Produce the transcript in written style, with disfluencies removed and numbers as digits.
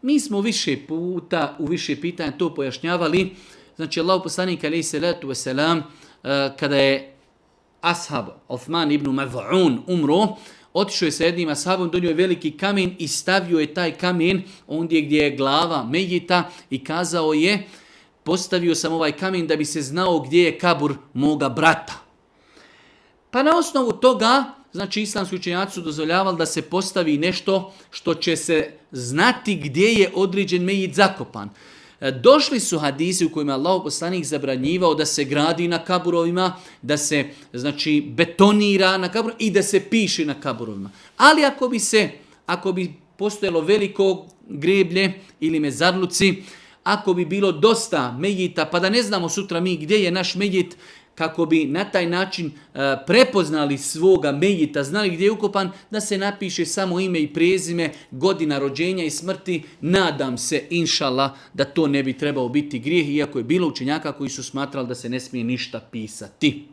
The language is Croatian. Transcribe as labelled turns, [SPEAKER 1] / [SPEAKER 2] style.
[SPEAKER 1] Mi smo više puta, u više pitanja to pojašnjavali. Znači, Allahu poslanik alejhi salatu vesselam, kada je ashab Uthman ibn Maz'un umro, otišao je sa jednim ashabom, donio je veliki kamen i stavio je taj kamen ondje gdje je glava Mejita i kazao je, postavio sam ovaj kamen da bi se znao gdje je kabur moga brata. Pa na osnovu toga, znači islamski učenjaci su dozvoljavali da se postavi nešto što će se znati gdje je određen Mejit zakopan. Došli su hadisi u kojima je Allahov poslanik zabranjivao da se gradi na kaburovima, da se znači betonira na kaburovima i da se piše na kaburovima. Ali ako bi postojalo veliko greblje ili mezarluci, ako bi bilo dosta mejita, pa da ne znamo sutra mi gdje je naš mejit, kako bi na taj način prepoznali svoga mejita, znali gdje je ukopan, da se napiše samo ime i prezime, godina rođenja i smrti. Nadam se, inšallah, da to ne bi trebao biti grijeh, iako je bilo učenjaka koji su smatrali da se ne smije ništa pisati.